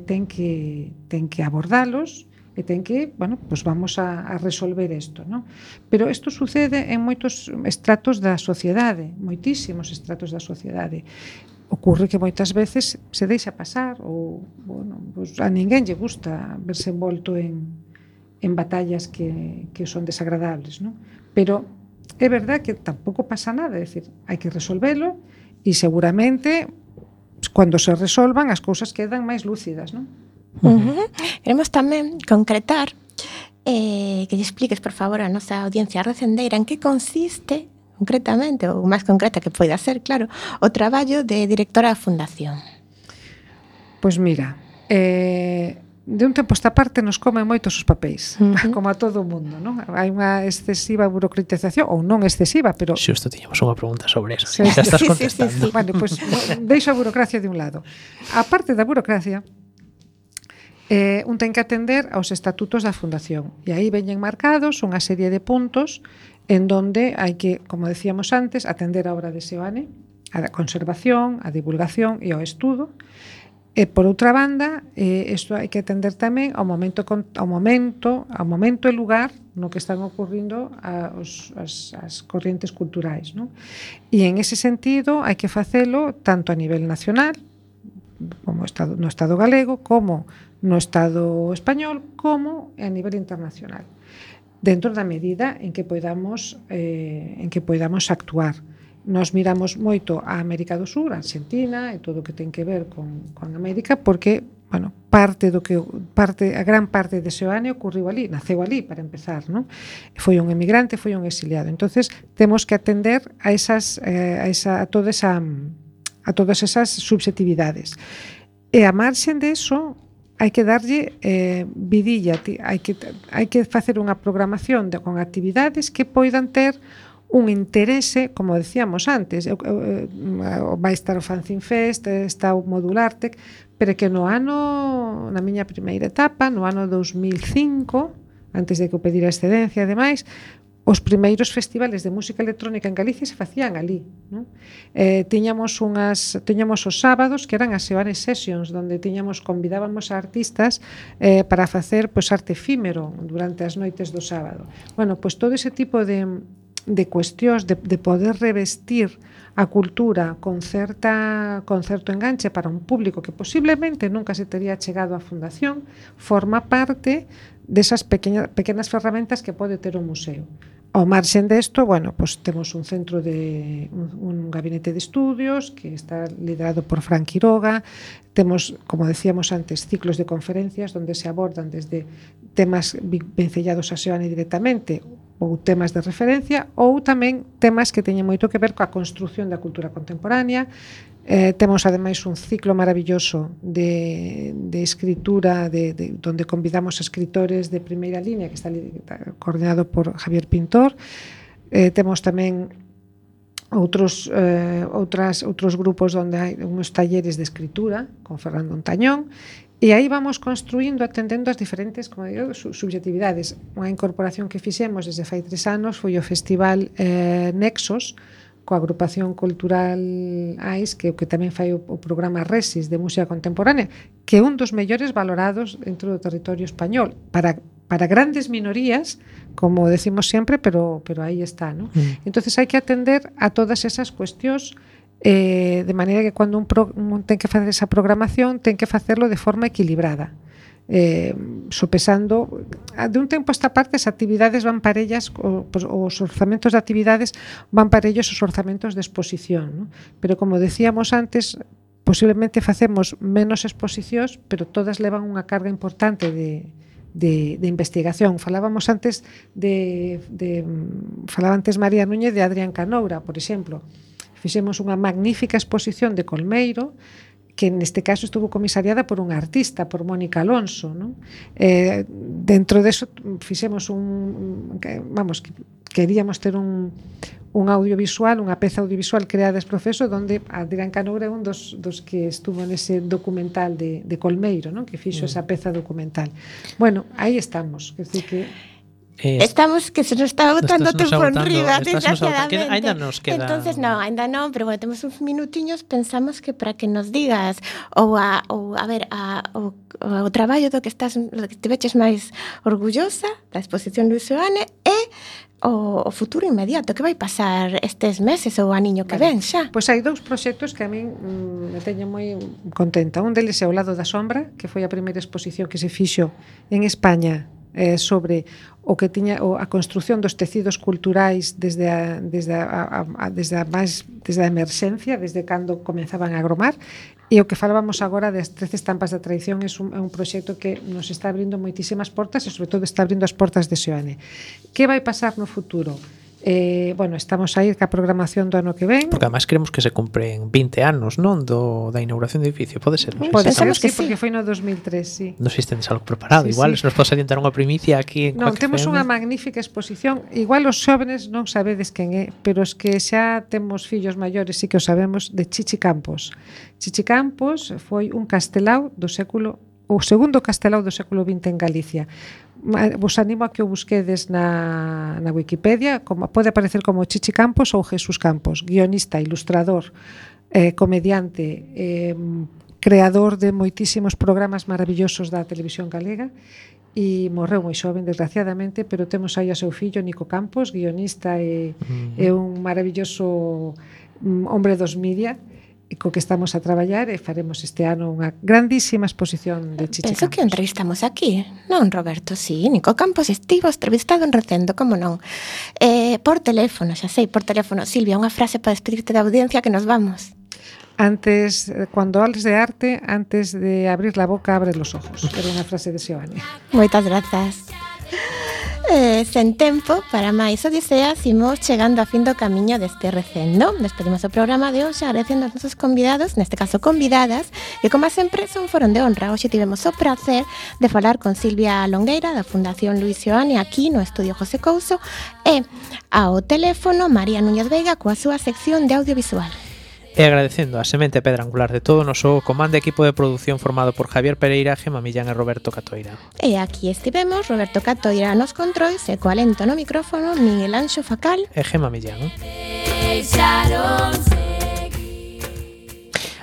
ten que abordalos e ten que, pois vamos a resolver isto, non? Pero isto sucede en moitos estratos da sociedade, moitísimos estratos da sociedade. Ocurre que moitas veces se deixa pasar ou, pois a ninguén lle gusta verse envolto en batallas que son desagradables, non? Pero é verdad que tampouco pasa nada, é dicir, hai que resolvelo e seguramente cando se resolvan as cousas quedan máis lúcidas, non? Queremos tamén concretar que lle expliques, por favor, a nosa audiencia recendeira en que consiste concretamente, ou máis concreta que poida ser, claro, o traballo de directora da Fundación? Pois mira, de un tempo esta parte nos comen moitos os papéis, como a todo o mundo, non? Hai unha excesiva burocratización, ou non excesiva, pero... Xusto tiñamos unha pregunta sobre eso. Sí, Xa estás sí, contestando. Bueno, pois deixo a burocracia de un lado. A parte da burocracia, un ten que atender aos estatutos da Fundación, e aí veñen marcados unha serie de puntos en donde hai que, como decíamos antes, atender a obra de Seoane, a conservación, a divulgación e ao estudo. E por outra banda, isto hai que atender tamén ao momento e lugar no que están ocurrindo as corrientes culturais, non? E en ese sentido hai que facelo tanto a nivel nacional, como no Estado galego, como no Estado español, como a nivel internacional, dentro da medida en que podamos actuar. Nos miramos moito a América do Sur, a Argentina e todo o que ten que ver con América, porque, bueno, a gran parte de Seoane ocurriu ali, naceu ali para empezar, non? Foi un emigrante, foi un exiliado. Entonces, temos que atender a todas esas subjetividades. E a marxen de eso, hai que darlle vidilla, hai que facer unha programación con actividades que poidan ter un interese, como decíamos antes, vai estar o Fanzine Fest, está o Modulartec, pero que na miña primeira etapa, no ano 2005, antes de que eu pedira excedencia e demais, os primeiros festivales de música electrónica en Galicia se facían ali, non? Tiñamos os sábados que eran as Seoane Sessions, donde convidábamos a artistas para facer arte efímero durante as noites do sábado. Bueno, pois todo ese tipo de cuestións de poder revestir a cultura con certo enganche para un público que posiblemente nunca se tería chegado á Fundación, forma parte desas pequenas ferramentas que pode ter o museo. Ao marxen desto, bueno, pues temos un centro un gabinete de estudios que está liderado por Fran Quiroga. Temos, como decíamos antes, ciclos de conferencias donde se abordan desde temas vencellados a Seoane directamente ou temas de referencia, ou tamén temas que teñen moito que ver coa construción da cultura contemporánea. Temos ademais un ciclo maravilloso de escritura donde convidamos a escritores de primeira línea, que está coordinado por Javier Pintor. Temos tamén outros grupos onde hai uns talleres de escritura con Fernando Ontañón. E aí vamos construindo, atendendo as diferentes, como digo, subjetividades. Unha incorporación que fixemos desde fai 3 anos foi o Festival Nexos, coa agrupación cultural AIS, que tamén fai o programa Resis de música contemporánea, que é un dos mellores valorados dentro do territorio español, para grandes minorías, como decimos sempre, pero aí está, ¿no? Entonces hai que atender a todas esas cuestións, de maneira que cando un ten que facer esa programación ten que facerlo de forma equilibrada, sopesando de un tempo a esta parte as actividades van parellas, os orzamentos de actividades van parellos os orzamentos de exposición, ¿no? Pero como decíamos antes, posiblemente facemos menos exposicións, pero todas levan unha carga importante de investigación. Falábamos antes falaba antes María Núñez de Adrián Canoura, por exemplo. Fixemos unha magnífica exposición de Colmeiro, que neste caso estuvo comisariada por unha artista, por Mónica Alonso, non? Dentro deso fixemos queríamos ter un audiovisual, unha peza audiovisual creada ex profeso, donde Adrián Canoura é un dos que estuvo nese documental de Colmeiro, non? Que fixo esa peza documental. Bueno, aí estamos, quer dizer que estamos que se nos está agotando o tempo enriba, desgraciadamente. Ainda nos queda... Entonces, ainda non, pero bueno, temos uns minutiños, pensamos que para que nos digas o traballo do que te veches máis orgullosa da exposición de Seoane e o futuro inmediato, que vai pasar estes meses ou o aniño que ven xa? Pois hai 2 proxectos que a min me teño moi contenta. Un deles é O lado da sombra, que foi a primeira exposición que se fixo en España sobre o que tiña a construción dos tecidos culturais desde a emerxencia, desde cando comenzaban a agromar, e o que falábamos agora das 13 estampas da tradición é un proxecto que nos está abrindo moitísimas portas e sobre todo está abrindo as portas de Seoane. Que vai pasar no futuro? Bueno, estamos a ir ca programación do ano que ven. Porque además queremos que se cumpren 20 anos, non? Da inauguración do edificio, pode ser? Non sei Pode se ser, Pensamos que sí, porque sí. foi no 2003, sí. non sei se tendes algo preparado. Sí, Igual, sí. se nos podes adiantar unha primicia aquí en Non, Quack temos FM. unha magnífica exposición. Igual os xóvenes non sabedes quen é, pero os que xa temos fillos maiores sí que o sabemos, de Chichi Campos. Chichi Campos foi un castelao do século, o segundo castelao do século XX en Galicia. Vos animo a que o busquedes na Wikipedia, como pode aparecer como Chichi Campos ou Jesús Campos, guionista, ilustrador, comediante, creador de moitísimos programas maravillosos da televisión galega, e morreu moi xoven, desgraciadamente, pero temos aí a seu fillo, Nico Campos, guionista e un maravilloso hombre dos media, e co que estamos a traballar, e faremos este ano unha grandísima exposición de Chichi Penso que o Campos. entrevistamos aquí, non, Roberto? Sí, Nico Campos estivo entrevistado en Recendo, como non? Por teléfono, xa sei, por teléfono. Silvia, unha frase para despedirte da audiencia que nos vamos. Antes, cuando hables de arte, antes de abrir la boca, abre los ojos. Era unha frase de Seoane. Moitas grazas. Sen tempo para máis odiseas, imos chegando a fin do camiño deste Recendo. Despedimos o programa de hoxe agradecendo aos nosos convidados, neste caso convidadas, que como sempre son foron de honra. Hoxe tivemos o prazer de falar con Silvia Longueira da Fundación Luis Seoane aquí no Estudio José Couso e ao teléfono María Núñez Veiga coa súa sección de audiovisual. E agradecendo a semente pedra angular de todo o noso comando e equipo de produción formado por Javier Pereira, Gemma Millán e Roberto Catoira. E aquí estivemos, Roberto Catoira nos controis e co alento no micrófono Miguel Anxo Facal E Gemma Millán. Deixaron seguir.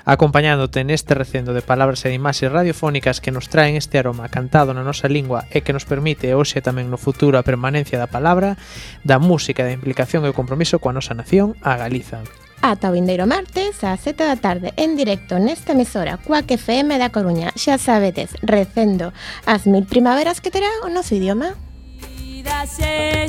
Acompañándote neste recendo de palabras e de imaxes radiofónicas que nos traen este aroma cantado na nosa lingua e que nos permite hoxe tamén no futuro a permanencia da palabra, da música, da implicación e o compromiso coa nosa nación, a Galiza. ata o vindeiro martes ás 7 da tarde en directo nesta emisora Quack FM da Coruña. Xa sabedes, Recendo as 1000 primaveras que terá o noso idioma.